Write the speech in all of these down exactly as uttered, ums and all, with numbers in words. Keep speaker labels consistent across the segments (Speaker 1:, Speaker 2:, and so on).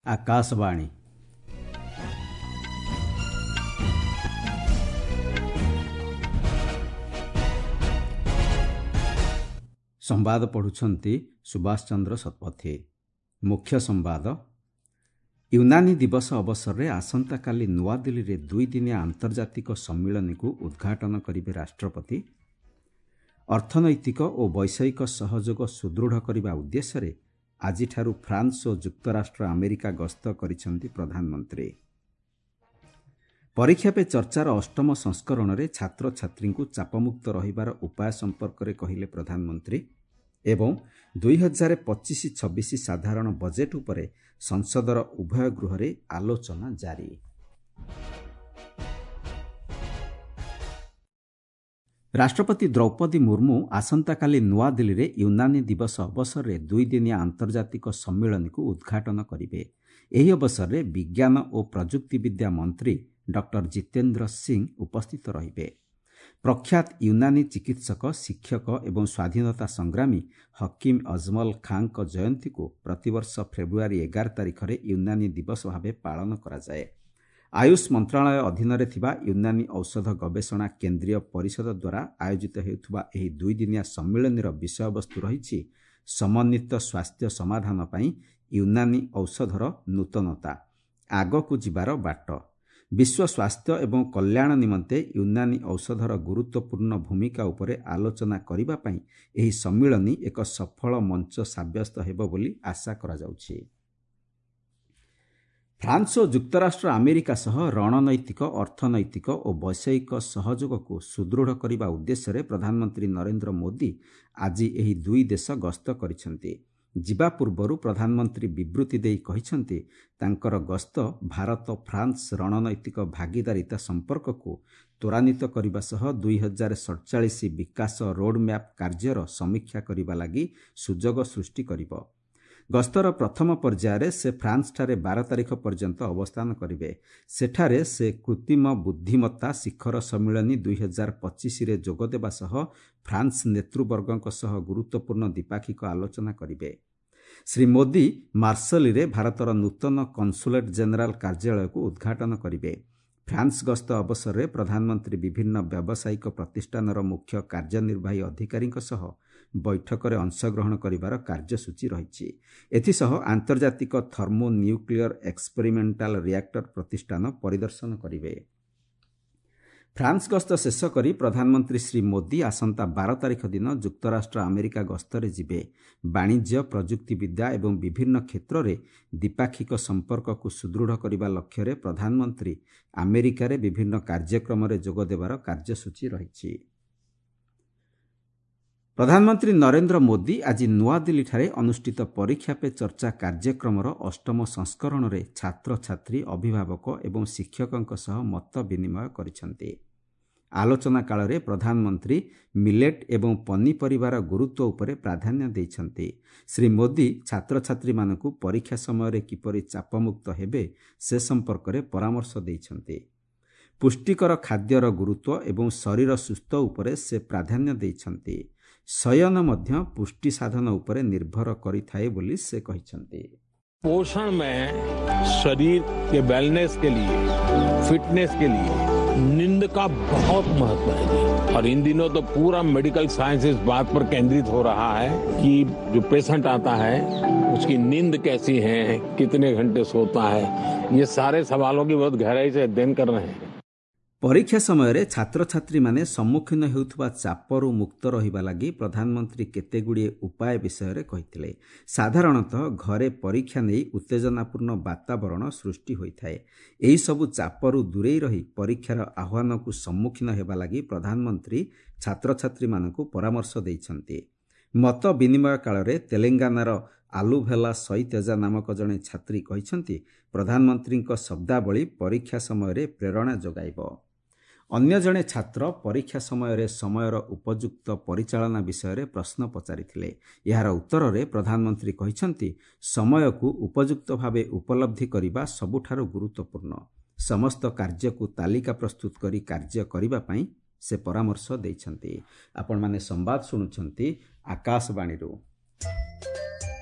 Speaker 1: ଆକାଶବାଣୀ। ସମ୍ବାଦ ପଢ଼ୁଛନ୍ତି ସୁଭାଷ ଚନ୍ଦ୍ର ଶତପଥୀ। ମୁଖ୍ୟ ସମ୍ବାଦ। ୟୁନାନୀ ଦିବସ ଅବସରରେ ଆସନ୍ତାକାଲି ନୂଆଦିଲ୍ଲୀରେ ଦୁଇଦିନିଆ ଆନ୍ତର୍ଜାତିକ ସମ୍ମିଳନୀକୁ ଉଦ୍ଘାଟନ କରିବେ ରାଷ୍ଟ୍ରପତି। ଅର୍ଥନୈତିକ ଓ ବୈଷୟିକ ସହଯୋଗ ସୁଦୃଢ଼ କରିବା ଉଦ୍ଦେଶ୍ୟରେ ଆଜିଠାରୁ ଫ୍ରାନ୍ସ ଓ ଯୁକ୍ତରାଷ୍ଟ୍ର ଆମେରିକା ଗସ୍ତ କରିଛନ୍ତି ପ୍ରଧାନମନ୍ତ୍ରୀ। ପରୀକ୍ଷା ପେ ଚର୍ଚ୍ଚାର ଅଷ୍ଟମ ସଂସ୍କରଣରେ ଛାତ୍ରଛାତ୍ରୀଙ୍କୁ ଚାପମୁକ୍ତ ରହିବାର ଉପାୟ ସମ୍ପର୍କରେ କହିଲେ ପ୍ରଧାନମନ୍ତ୍ରୀ। ଏବଂ ଦୁଇ ହଜାର ପଚିଶ ଛବିଶ ସାଧାରଣ ବଜେଟ୍ ଉପରେ ସଂସଦର ଉଭୟ ଗୃହରେ ଆଲୋଚନା ଜାରି। ରାଷ୍ଟ୍ରପତି ଦ୍ରୌପଦୀ ମୁର୍ମୁ ଆସନ୍ତାକାଲି ନୂଆଦିଲ୍ଲୀରେ ୟୁନାନୀ ଦିବସ ଅବସରରେ ଦୁଇଦିନିଆ ଆନ୍ତର୍ଜାତିକ ସମ୍ମିଳନୀକୁ ଉଦ୍ଘାଟନ କରିବେ। ଏହି ଅବସରରେ ବିଜ୍ଞାନ ଓ ପ୍ରଯୁକ୍ତିବିଦ୍ୟା ମନ୍ତ୍ରୀ ଡକ୍ଟର ଜିତେନ୍ଦ୍ର ସିଂ ଉପସ୍ଥିତ ରହିବେ। ପ୍ରଖ୍ୟାତ ୟୁନାନୀ ଚିକିତ୍ସକ, ଶିକ୍ଷକ ଏବଂ ସ୍ୱାଧୀନତା ସଂଗ୍ରାମୀ ହକିମ୍ ଅଜମଲ ଖାଁଙ୍କ ଜୟନ୍ତୀକୁ ପ୍ରତିବର୍ଷ ଫେବୃଆରୀ ଏଗାର ତାରିଖରେ ୟୁନାନୀ ଦିବସ ଭାବେ ପାଳନ କରାଯାଏ। ଆୟୁଷ ମନ୍ତ୍ରଣାଳୟ ଅଧୀନରେ ଥିବା ୟୁନାନୀ ଔଷଧ ଗବେଷଣା କେନ୍ଦ୍ରୀୟ ପରିଷଦ ଦ୍ୱାରା ଆୟୋଜିତ ହେଉଥିବା ଏହି ଦୁଇଦିନିଆ ସମ୍ମିଳନୀର ବିଷୟବସ୍ତୁ ରହିଛି ସମନ୍ୱିତ ସ୍ୱାସ୍ଥ୍ୟ ସମାଧାନ ପାଇଁ ୟୁନାନୀ ଔଷଧର ନୂତନତା, ଆଗକୁ ଯିବାର ବାଟ। ବିଶ୍ୱ ସ୍ୱାସ୍ଥ୍ୟ ଏବଂ କଲ୍ୟାଣ ନିମନ୍ତେ ୟୁନାନୀ ଔଷଧର ଗୁରୁତ୍ୱପୂର୍ଣ୍ଣ ଭୂମିକା ଉପରେ ଆଲୋଚନା କରିବା ପାଇଁ ଏହି ସମ୍ମିଳନୀ ଏକ ସଫଳ ମଞ୍ଚ ସାବ୍ୟସ୍ତ ହେବ ବୋଲି ଆଶା କରାଯାଉଛି। ଫ୍ରାନ୍ସ ଓ ଯୁକ୍ତରାଷ୍ଟ୍ର ଆମେରିକା ସହ ରଣନୈତିକ, ଅର୍ଥନୈତିକ ଓ ବୈଷୟିକ ସହଯୋଗକୁ ସୁଦୃଢ଼ କରିବା ଉଦ୍ଦେଶ୍ୟରେ ପ୍ରଧାନମନ୍ତ୍ରୀ ନରେନ୍ଦ୍ର ମୋଦି ଆଜି ଏହି ଦୁଇ ଦେଶ ଗସ୍ତ କରିଛନ୍ତି। ଯିବା ପୂର୍ବରୁ ପ୍ରଧାନମନ୍ତ୍ରୀ ବିବୃତି ଦେଇ କହିଛନ୍ତି, ତାଙ୍କର ଗସ୍ତ ଭାରତ ଫ୍ରାନ୍ସ ରଣନୈତିକ ଭାଗିଦାରିତା ସମ୍ପର୍କକୁ ତ୍ୱରାନ୍ୱିତ କରିବା ସହ ଦୁଇ ହଜାର ସଡ଼ଚାଳିଶ ବିକାଶ ରୋଡ୍ମ୍ୟାପ୍ କାର୍ଯ୍ୟର ସମୀକ୍ଷା କରିବା ଲାଗି ସୁଯୋଗ ସୃଷ୍ଟି କରିବ। ଗସ୍ତର ପ୍ରଥମ ପର୍ଯ୍ୟାୟରେ ସେ ଫ୍ରାନ୍ସଠାରେ ବାର ତାରିଖ ପର୍ଯ୍ୟନ୍ତ ଅବସ୍ଥାନ କରିବେ। ସେଠାରେ ସେ କୃତ୍ରିମ ବୁଦ୍ଧିମତ୍ତା ଶିଖର ସମ୍ମିଳନୀ ଦୁଇ ହଜାର ପଚିଶରେ ଯୋଗଦେବା ସହ ଫ୍ରାନ୍ସ ନେତୃବର୍ଗଙ୍କ ସହ ଗୁରୁତ୍ୱପୂର୍ଣ୍ଣ ଦ୍ୱିପାକ୍ଷିକ ଆଲୋଚନା କରିବେ। ଶ୍ରୀ ମୋଦି ମାର୍ସଲିରେ ଭାରତର ନୂତନ କନସୁଲେଟ୍ ଜେନେରାଲ କାର୍ଯ୍ୟାଳୟକୁ ଉଦ୍ଘାଟନ କରିବେ। ଫ୍ରାନ୍ସ ଗସ୍ତ ଅବସରରେ ପ୍ରଧାନମନ୍ତ୍ରୀ ବିଭିନ୍ନ ବ୍ୟାବସାୟିକ ପ୍ରତିଷ୍ଠାନର ମୁଖ୍ୟ କାର୍ଯ୍ୟନିର୍ବାହୀ ଅଧିକାରୀଙ୍କ ସହ ବୈଠକରେ ଅଂଶଗ୍ରହଣ କରିବାର କାର୍ଯ୍ୟସୂଚୀ ରହିଛି। ଏଥିସହ ଆନ୍ତର୍ଜାତିକ ଥର୍ମୋ ନ୍ୟୁକ୍ଲିୟର ଏକ୍ସପେରିମେଣ୍ଟାଲ ରିଆକ୍ଟର ପ୍ରତିଷ୍ଠାନ ପରିଦର୍ଶନ କରିବେ। ଫ୍ରାନ୍ସ ଗସ୍ତ ଶେଷ କରି ପ୍ରଧାନମନ୍ତ୍ରୀ ଶ୍ରୀ ମୋଦି ଆସନ୍ତା ବାର ତାରିଖ ଦିନ ଯୁକ୍ତରାଷ୍ଟ୍ର ଆମେରିକା ଗସ୍ତରେ ଯିବେ। ବାଣିଜ୍ୟ, ପ୍ରଯୁକ୍ତିବିଦ୍ୟା ଏବଂ ବିଭିନ୍ନ କ୍ଷେତ୍ରରେ ଦ୍ୱିପାକ୍ଷିକ ସମ୍ପର୍କକୁ ସୁଦୃଢ଼ କରିବା ଲକ୍ଷ୍ୟରେ ପ୍ରଧାନମନ୍ତ୍ରୀ ଆମେରିକାରେ ବିଭିନ୍ନ କାର୍ଯ୍ୟକ୍ରମରେ ଯୋଗଦେବାର କାର୍ଯ୍ୟସୂଚୀ ରହିଛି। ପ୍ରଧାନମନ୍ତ୍ରୀ ନରେନ୍ଦ୍ର ମୋଦି ଆଜି ନୂଆଦିଲ୍ଲୀଠାରେ ଅନୁଷ୍ଠିତ ପରୀକ୍ଷା ପେ ଚର୍ଚ୍ଚା କାର୍ଯ୍ୟକ୍ରମର ଅଷ୍ଟମ ସଂସ୍କରଣରେ ଛାତ୍ରଛାତ୍ରୀ, ଅଭିଭାବକ ଏବଂ ଶିକ୍ଷକଙ୍କ ସହ ମତ ବିନିମୟ କରିଛନ୍ତି। ଆଲୋଚନା କାଳରେ ପ୍ରଧାନମନ୍ତ୍ରୀ ମିଲେଟ୍ ଏବଂ ପନିପରିବାର ଗୁରୁତ୍ୱ ଉପରେ ପ୍ରାଧାନ୍ୟ ଦେଇଛନ୍ତି। ଶ୍ରୀ ମୋଦି ଛାତ୍ରଛାତ୍ରୀମାନଙ୍କୁ ପରୀକ୍ଷା ସମୟରେ କିପରି ଚାପମୁକ୍ତ ହେବେ ସେ ସମ୍ପର୍କରେ ପରାମର୍ଶ ଦେଇଛନ୍ତି। ପୁଷ୍ଟିକର ଖାଦ୍ୟର ଗୁରୁତ୍ୱ ଏବଂ ଶରୀର ସୁସ୍ଥ ଉପରେ ସେ ପ୍ରାଧାନ୍ୟ ଦେଇଛନ୍ତି। ଶୟନ ମଧ୍ୟ ପୁଷ୍ଟି ସାଧନ ଉପରେ ନିର୍ଭର କରିଥାଏ ବୋଲି ସେ କହିଛନ୍ତି।
Speaker 2: पोषण में शरीर के वेलनेस के लिए, फिटनेस के लिए नींद का बहुत महत्व है जी। और इन दिनों तो पूरा मेडिकल साइंस इस बात पर केंद्रित हो रहा है कि जो पेशेंट आता है उसकी नींद कैसी है, कितने घंटे सोता है, ये सारे सवालों की बहुत गहराई से अध्ययन कर रहे हैं।
Speaker 1: ପରୀକ୍ଷା ସମୟରେ ଛାତ୍ରଛାତ୍ରୀମାନେ ସମ୍ମୁଖୀନ ହେଉଥିବା ଚାପରୁ ମୁକ୍ତ ରହିବା ଲାଗି ପ୍ରଧାନମନ୍ତ୍ରୀ କେତେଗୁଡ଼ିଏ ଉପାୟ ବିଷୟରେ କହିଥିଲେ। ସାଧାରଣତଃ ଘରେ ପରୀକ୍ଷା ନେଇ ଉତ୍ତେଜନାପୂର୍ଣ୍ଣ ବାତାବରଣ ସୃଷ୍ଟି ହୋଇଥାଏ। ଏହିସବୁ ଚାପରୁ ଦୂରେଇ ରହି ପରୀକ୍ଷାର ଆହ୍ୱାନକୁ ସମ୍ମୁଖୀନ ହେବା ଲାଗି ପ୍ରଧାନମନ୍ତ୍ରୀ ଛାତ୍ରଛାତ୍ରୀମାନଙ୍କୁ ପରାମର୍ଶ ଦେଇଛନ୍ତି। ମତ ବିନିମୟ କାଳରେ ତେଲେଙ୍ଗାନାର ଆଲୁଭେଲା ସଇତେଜା ନାମକ ଜଣେ ଛାତ୍ରୀ କହିଛନ୍ତି, ପ୍ରଧାନମନ୍ତ୍ରୀଙ୍କ ଶବ୍ଦାବଳୀ ପରୀକ୍ଷା ସମୟରେ ପ୍ରେରଣା ଯୋଗାଇବ। ଅନ୍ୟ ଜଣେ ଛାତ୍ର ପରୀକ୍ଷା ସମୟରେ ସମୟର ଉପଯୁକ୍ତ ପରିଚାଳନା ବିଷୟରେ ପ୍ରଶ୍ନ ପଚାରିଥିଲେ। ଏହାର ଉତ୍ତରରେ ପ୍ରଧାନମନ୍ତ୍ରୀ କହିଛନ୍ତି, ସମୟକୁ ଉପଯୁକ୍ତ ଭାବେ ଉପଲବ୍ଧି କରିବା ସବୁଠାରୁ ଗୁରୁତ୍ୱପୂର୍ଣ୍ଣ। ସମସ୍ତ କାର୍ଯ୍ୟକୁ ତାଲିକା ପ୍ରସ୍ତୁତ କରି କାର୍ଯ୍ୟ କରିବା ପାଇଁ ସେ ପରାମର୍ଶ ଦେଇଛନ୍ତି। ଆପଣମାନେ ସମ୍ବାଦ ଶୁଣୁଛନ୍ତି ଆକାଶବାଣୀରୁ।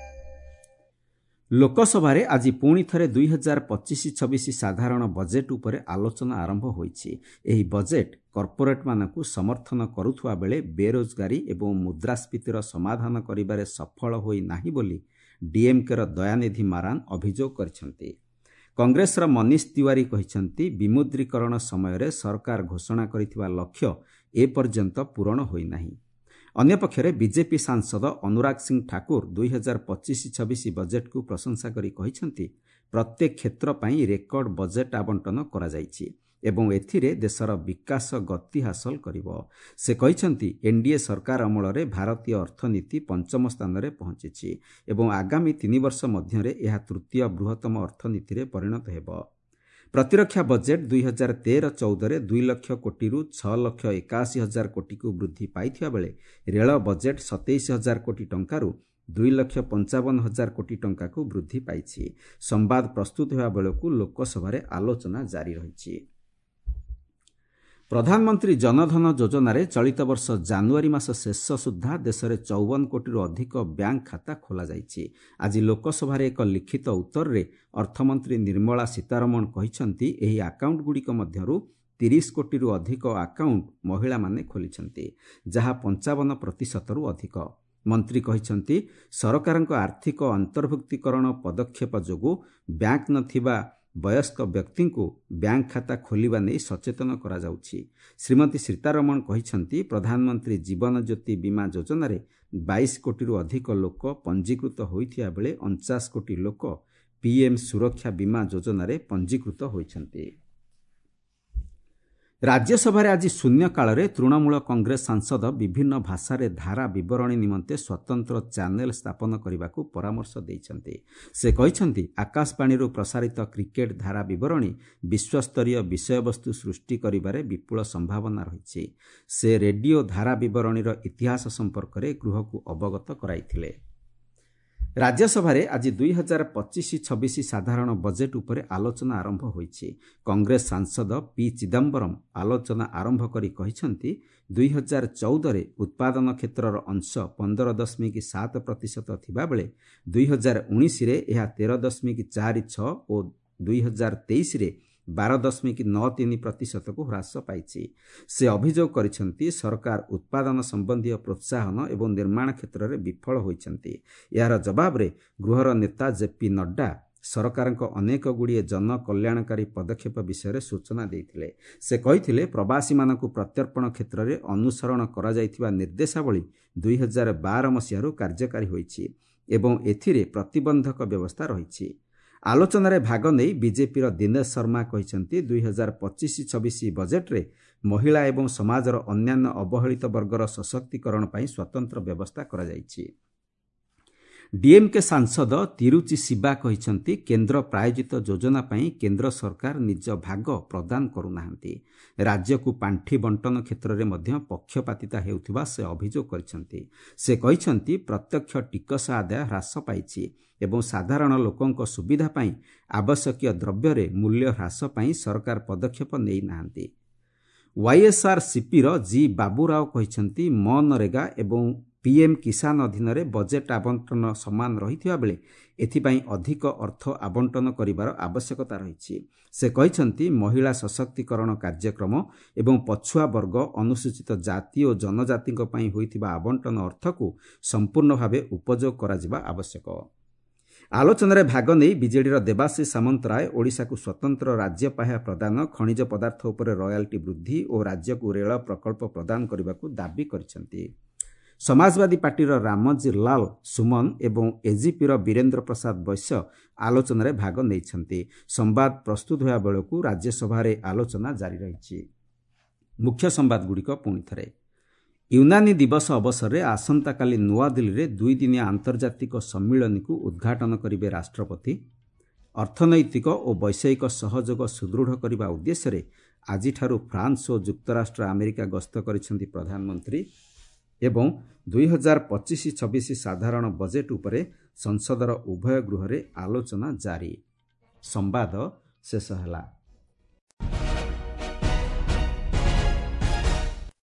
Speaker 1: ଲୋକସଭାରେ ଆଜି ପୁଣି ଥରେ ଦୁଇ ହଜାର ପଚିଶ ଛବିଶ ସାଧାରଣ ବଜେଟ୍ ଉପରେ ଆଲୋଚନା ଆରମ୍ଭ ହୋଇଛି। ଏହି ବଜେଟ୍ କର୍ପୋରେଟ୍ମାନଙ୍କୁ ସମର୍ଥନ କରୁଥିବା ବେଳେ ବେରୋଜଗାରୀ ଏବଂ ମୁଦ୍ରାସ୍ଫୀତିର ସମାଧାନ କରିବାରେ ସଫଳ ହୋଇନାହିଁ ବୋଲି ଡିଏମ୍କେର ଦୟାନିଧି ମାରାନ ଅଭିଯୋଗ କରିଛନ୍ତି। କଂଗ୍ରେସର ମନୀଷ ତିୱାରୀ କହିଛନ୍ତି, ବିମୁଦ୍ରୀକରଣ ସମୟରେ ସରକାର ଘୋଷଣା କରିଥିବା ଲକ୍ଷ୍ୟ ଏପର୍ଯ୍ୟନ୍ତ ପୂରଣ ହୋଇନାହିଁ। ଅନ୍ୟପକ୍ଷରେ ବିଜେପି ସାଂସଦ ଅନୁରାଗ ସିଂ ଠାକୁର ଦୁଇ ହଜାର ପଚିଶ ଛବିଶ ବଜେଟ୍କୁ ପ୍ରଶଂସା କରି କହିଛନ୍ତି, ପ୍ରତ୍ୟେକ କ୍ଷେତ୍ର ପାଇଁ ରେକର୍ଡ ବଜେଟ୍ ଆବଣ୍ଟନ କରାଯାଇଛି ଏବଂ ଏଥିରେ ଦେଶର ବିକାଶ ଗତି ହାସଲ କରିବ। ସେ କହିଛନ୍ତି, ଏନ୍ଡିଏ ସରକାର ଅମଳରେ ଭାରତୀୟ ଅର୍ଥନୀତି ପଞ୍ଚମ ସ୍ଥାନରେ ପହଞ୍ଚିଛି ଏବଂ ଆଗାମୀ ତିନି ବର୍ଷ ମଧ୍ୟରେ ଏହା ତୃତୀୟ ବୃହତ୍ତମ ଅର୍ଥନୀତିରେ ପରିଣତ ହେବ। ପ୍ରତିରକ୍ଷା ବଜେଟ୍ ଦୁଇ ହଜାର ତେର ଚଉଦରେ ଦୁଇ ଲକ୍ଷ କୋଟିରୁ ଛଅ ଲକ୍ଷ ଏକାଅଶୀ ହଜାର କୋଟିକୁ ବୃଦ୍ଧି ପାଇଥିବା ବେଳେ ରେଳ ବଜେଟ୍ ସତେଇଶ ହଜାର କୋଟି ଟଙ୍କାରୁ ଦୁଇ ଲକ୍ଷ ପଞ୍ଚାବନ ହଜାର କୋଟି ଟଙ୍କାକୁ ବୃଦ୍ଧି ପାଇଛି। ସମ୍ବାଦ ପ୍ରସ୍ତୁତ ହେବା ବେଳକୁ ଲୋକସଭାରେ ଆଲୋଚନା ଜାରି ରହିଛି। ପ୍ରଧାନମନ୍ତ୍ରୀ ଜନଧନ ଯୋଜନାରେ ଚଳିତ ବର୍ଷ ଜାନୁଆରୀ ମାସ ଶେଷ ସୁଦ୍ଧା ଦେଶରେ ଚଉବନ କୋଟିରୁ ଅଧିକ ବ୍ୟାଙ୍କ ଖାତା ଖୋଲାଯାଇଛି। ଆଜି ଲୋକସଭାରେ ଏକ ଲିଖିତ ଉତ୍ତରରେ ଅର୍ଥମନ୍ତ୍ରୀ ନିର୍ମଳା ସୀତାରମଣ କହିଛନ୍ତି, ଏହି ଆକାଉଣ୍ଟଗୁଡ଼ିକ ମଧ୍ୟରୁ ତିରିଶ କୋଟିରୁ ଅଧିକ ଆକାଉଣ୍ଟ ମହିଳାମାନେ ଖୋଲିଛନ୍ତି, ଯାହା ପଞ୍ଚାବନ ପ୍ରତିଶତରୁ ଅଧିକ। ମନ୍ତ୍ରୀ କହିଛନ୍ତି, ସରକାରଙ୍କ ଆର୍ଥିକ ଅନ୍ତର୍ଭୁକ୍ତୀକରଣ ପଦକ୍ଷେପ ଯୋଗୁଁ ବ୍ୟାଙ୍କ ନଥିବା ବୟସ୍କ ବ୍ୟକ୍ତିଙ୍କୁ ବ୍ୟାଙ୍କ ଖାତା ଖୋଲିବା ନେଇ ସଚେତନ କରାଯାଉଛି। ଶ୍ରୀମତୀ ସୀତାରମଣ କହିଛନ୍ତି, ପ୍ରଧାନମନ୍ତ୍ରୀ ଜୀବନ ଜ୍ୟୋତି ବୀମା ଯୋଜନାରେ ବାଇଶ କୋଟିରୁ ଅଧିକ ଲୋକ ପଞ୍ଜୀକୃତ ହୋଇଥିବା ବେଳେ ଅଣଚାଶ କୋଟି ଲୋକ ପିଏମ୍ ସୁରକ୍ଷା ବୀମା ଯୋଜନାରେ ପଞ୍ଜୀକୃତ ହୋଇଛନ୍ତି। ରାଜ୍ୟସଭାରେ ଆଜି ଶୂନ୍ୟକାଳରେ ତୃଣମୂଳ କଂଗ୍ରେସ ସାଂସଦ ବିଭିନ୍ନ ଭାଷାରେ ଧାରା ବିବରଣୀ ନିମନ୍ତେ ସ୍ୱତନ୍ତ୍ର ଚ୍ୟାନେଲ ସ୍ଥାପନ କରିବାକୁ ପରାମର୍ଶ ଦେଇଛନ୍ତି। ସେ କହିଛନ୍ତି, ଆକାଶବାଣୀରୁ ପ୍ରସାରିତ କ୍ରିକେଟ ଧାରା ବିବରଣୀ ବିଶ୍ୱସ୍ତରୀୟ ବିଷୟବସ୍ତୁ ସୃଷ୍ଟି କରିବାରେ ବିପୁଳ ସମ୍ଭାବନା ରହିଛି। ସେ ରେଡିଓ ଧାରା ବିବରଣୀର ଇତିହାସ ସମ୍ପର୍କରେ ଗୃହକୁ ଅବଗତ କରାଇଥିଲେ। ରାଜ୍ୟସଭାରେ ଆଜି ଦୁଇ ହଜାର ପଚିଶ ଛବିଶ ସାଧାରଣ ବଜେଟ୍ ଉପରେ ଆଲୋଚନା ଆରମ୍ଭ ହୋଇଛି। କଂଗ୍ରେସ ସାଂସଦ ପି ଚିଦମ୍ବରମ୍ ଆଲୋଚନା ଆରମ୍ଭ କରି କହିଛନ୍ତି, ଦୁଇ ହଜାର ଚଉଦରେ ଉତ୍ପାଦନ କ୍ଷେତ୍ରର ଅଂଶ ପନ୍ଦର ଦଶମିକ ସାତ ପ୍ରତିଶତ ଥିବାବେଳେ ଦୁଇ ହଜାର ଉଣେଇଶରେ ଏହା ତେର ଦଶମିକ ଚାରି ଛଅ ଓ ଦୁଇ ହଜାର ତେଇଶରେ ବାର ଦଶମିକ ନଅ ତିନି ପ୍ରତିଶତକୁ ହ୍ରାସ ପାଇଛି। ସେ ଅଭିଯୋଗ କରିଛନ୍ତି, ସରକାର ଉତ୍ପାଦନ ସମ୍ବନ୍ଧୀୟ ପ୍ରୋତ୍ସାହନ ଏବଂ ନିର୍ମାଣ କ୍ଷେତ୍ରରେ ବିଫଳ ହୋଇଛନ୍ତି। ଏହାର ଜବାବରେ ଗୃହର ନେତା ଜେପି ନଡ୍ଡା ସରକାରଙ୍କ ଅନେକଗୁଡ଼ିଏ ଜନକଲ୍ୟାଣକାରୀ ପଦକ୍ଷେପ ବିଷୟରେ ସୂଚନା ଦେଇଥିଲେ। ସେ କହିଥିଲେ, ପ୍ରବାସୀମାନଙ୍କୁ ପ୍ରତ୍ୟର୍ପଣ କ୍ଷେତ୍ରରେ ଅନୁସରଣ କରାଯାଇଥିବା ନିର୍ଦ୍ଦେଶାବଳୀ ଦୁଇ ହଜାର ବାର ମସିହାରୁ କାର୍ଯ୍ୟକାରୀ ହୋଇଛି ଏବଂ ଏଥିରେ ପ୍ରତିବନ୍ଧକ ବ୍ୟବସ୍ଥା ରହିଛି। ଆଲୋଚନାରେ ଭାଗ ନେଇ ବିଜେପିର ଦିନେଶ ଶର୍ମା କହିଛନ୍ତି, ଦୁଇ ହଜାର ପଚିଶ ଛବିଶ ବଜେଟ୍ରେ ମହିଳା ଏବଂ ସମାଜର ଅନ୍ୟାନ୍ୟ ଅବହେଳିତ ବର୍ଗର ସଶକ୍ତିକରଣ ପାଇଁ ସ୍ୱତନ୍ତ୍ର ବ୍ୟବସ୍ଥା କରାଯାଇଛି। ଡିଏମ୍କେ ସାଂସଦ ତିରୁଚି ଶିବା କହିଛନ୍ତି, କେନ୍ଦ୍ର ପ୍ରାୟୋଜିତ ଯୋଜନା ପାଇଁ କେନ୍ଦ୍ର ସରକାର ନିଜ ଭାଗ ପ୍ରଦାନ କରୁନାହାନ୍ତି। ରାଜ୍ୟକୁ ପାଣ୍ଠି ବଣ୍ଟନ କ୍ଷେତ୍ରରେ ମଧ୍ୟ ପକ୍ଷପାତିତା ହେଉଥିବା ସେ ଅଭିଯୋଗ କରିଛନ୍ତି। ସେ କହିଛନ୍ତି, ପ୍ରତ୍ୟକ୍ଷ ଟିକସ ଆଦାୟ ହ୍ରାସ ପାଇଛି ଏବଂ ସାଧାରଣ ଲୋକଙ୍କ ସୁବିଧା ପାଇଁ ଆବଶ୍ୟକୀୟ ଦ୍ରବ୍ୟରେ ମୂଲ୍ୟ ହ୍ରାସ ପାଇଁ ସରକାର ପଦକ୍ଷେପ ନେଇନାହାନ୍ତି। ୱାଇଏସ୍ଆର୍ସିପିର ଜି ବାବୁରାଓ କହିଛନ୍ତି, ମନରେଗା ଏବଂ ପିଏମ୍ କିଷାନ ଅଧୀନରେ ବଜେଟ୍ ଆବଣ୍ଟନ ସମାନ ରହିଥିବା ବେଳେ ଏଥିପାଇଁ ଅଧିକ ଅର୍ଥ ଆବଣ୍ଟନ କରିବାର ଆବଶ୍ୟକତା ରହିଛି। ସେ କହିଛନ୍ତି, ମହିଳା ସଶକ୍ତିକରଣ କାର୍ଯ୍ୟକ୍ରମ ଏବଂ ପଛୁଆ ବର୍ଗ, ଅନୁସୂଚିତ ଜାତି ଓ ଜନଜାତିଙ୍କ ପାଇଁ ହୋଇଥିବା ଆବଣ୍ଟନ ଅର୍ଥକୁ ସମ୍ପୂର୍ଣ୍ଣ ଭାବେ ଉପଯୋଗ କରାଯିବା ଆବଶ୍ୟକ। ଆଲୋଚନାରେ ଭାଗ ନେଇ ବିଜେଡ଼ିର ଦେବାଶିଷ ସାମନ୍ତରାୟ ଓଡ଼ିଶାକୁ ସ୍ୱତନ୍ତ୍ର ରାଜ୍ୟ ପାହ୍ୟା ପ୍ରଦାନ, ଖଣିଜ ପଦାର୍ଥ ଉପରେ ରୟାଲ୍ଟି ବୃଦ୍ଧି ଓ ରାଜ୍ୟକୁ ରେଳ ପ୍ରକଳ୍ପ ପ୍ରଦାନ କରିବାକୁ ଦାବି କରିଛନ୍ତି। ସମାଜବାଦୀ ପାର୍ଟିର ରାମଜୀ ଲାଲ ସୁମନ ଏବଂ ଏଜିପିର ବୀରେନ୍ଦ୍ର ପ୍ରସାଦ ବୈଶ୍ୟ ଆଲୋଚନାରେ ଭାଗ ନେଇଛନ୍ତି। ସମ୍ବାଦ ପ୍ରସ୍ତୁତ ହେବା ବେଳକୁ ରାଜ୍ୟସଭାରେ ଆଲୋଚନା ଜାରି ରହିଛି। ମୁଖ୍ୟ ସମ୍ବାଦଗୁଡ଼ିକ ପୁଣି ଥରେ। ୟୁନାନୀ ଦିବସ ଅବସରରେ ଆସନ୍ତାକାଲି ନୂଆଦିଲ୍ଲୀରେ ଦୁଇଦିନିଆ ଆନ୍ତର୍ଜାତିକ ସମ୍ମିଳନୀକୁ ଉଦ୍ଘାଟନ କରିବେ ରାଷ୍ଟ୍ରପତି। ଅର୍ଥନୈତିକ ଓ ବୈଷୟିକ ସହଯୋଗ ସୁଦୃଢ଼ କରିବା ଉଦ୍ଦେଶ୍ୟରେ ଆଜିଠାରୁ ଫ୍ରାନ୍ସ ଓ ଯୁକ୍ତରାଷ୍ଟ୍ର ଆମେରିକା ଗସ୍ତ କରିଛନ୍ତି ପ୍ରଧାନମନ୍ତ୍ରୀ। ଏବଂ ଦୁଇ ହଜାର ପଚିଶ ଛବିଶ ସାଧାରଣ ବଜେଟ୍ ଉପରେ ସଂସଦର ଉଭୟ ଗୃହରେ ଆଲୋଚନା ଜାରି। ସମ୍ବାଦ ଶେଷ ହେଲା।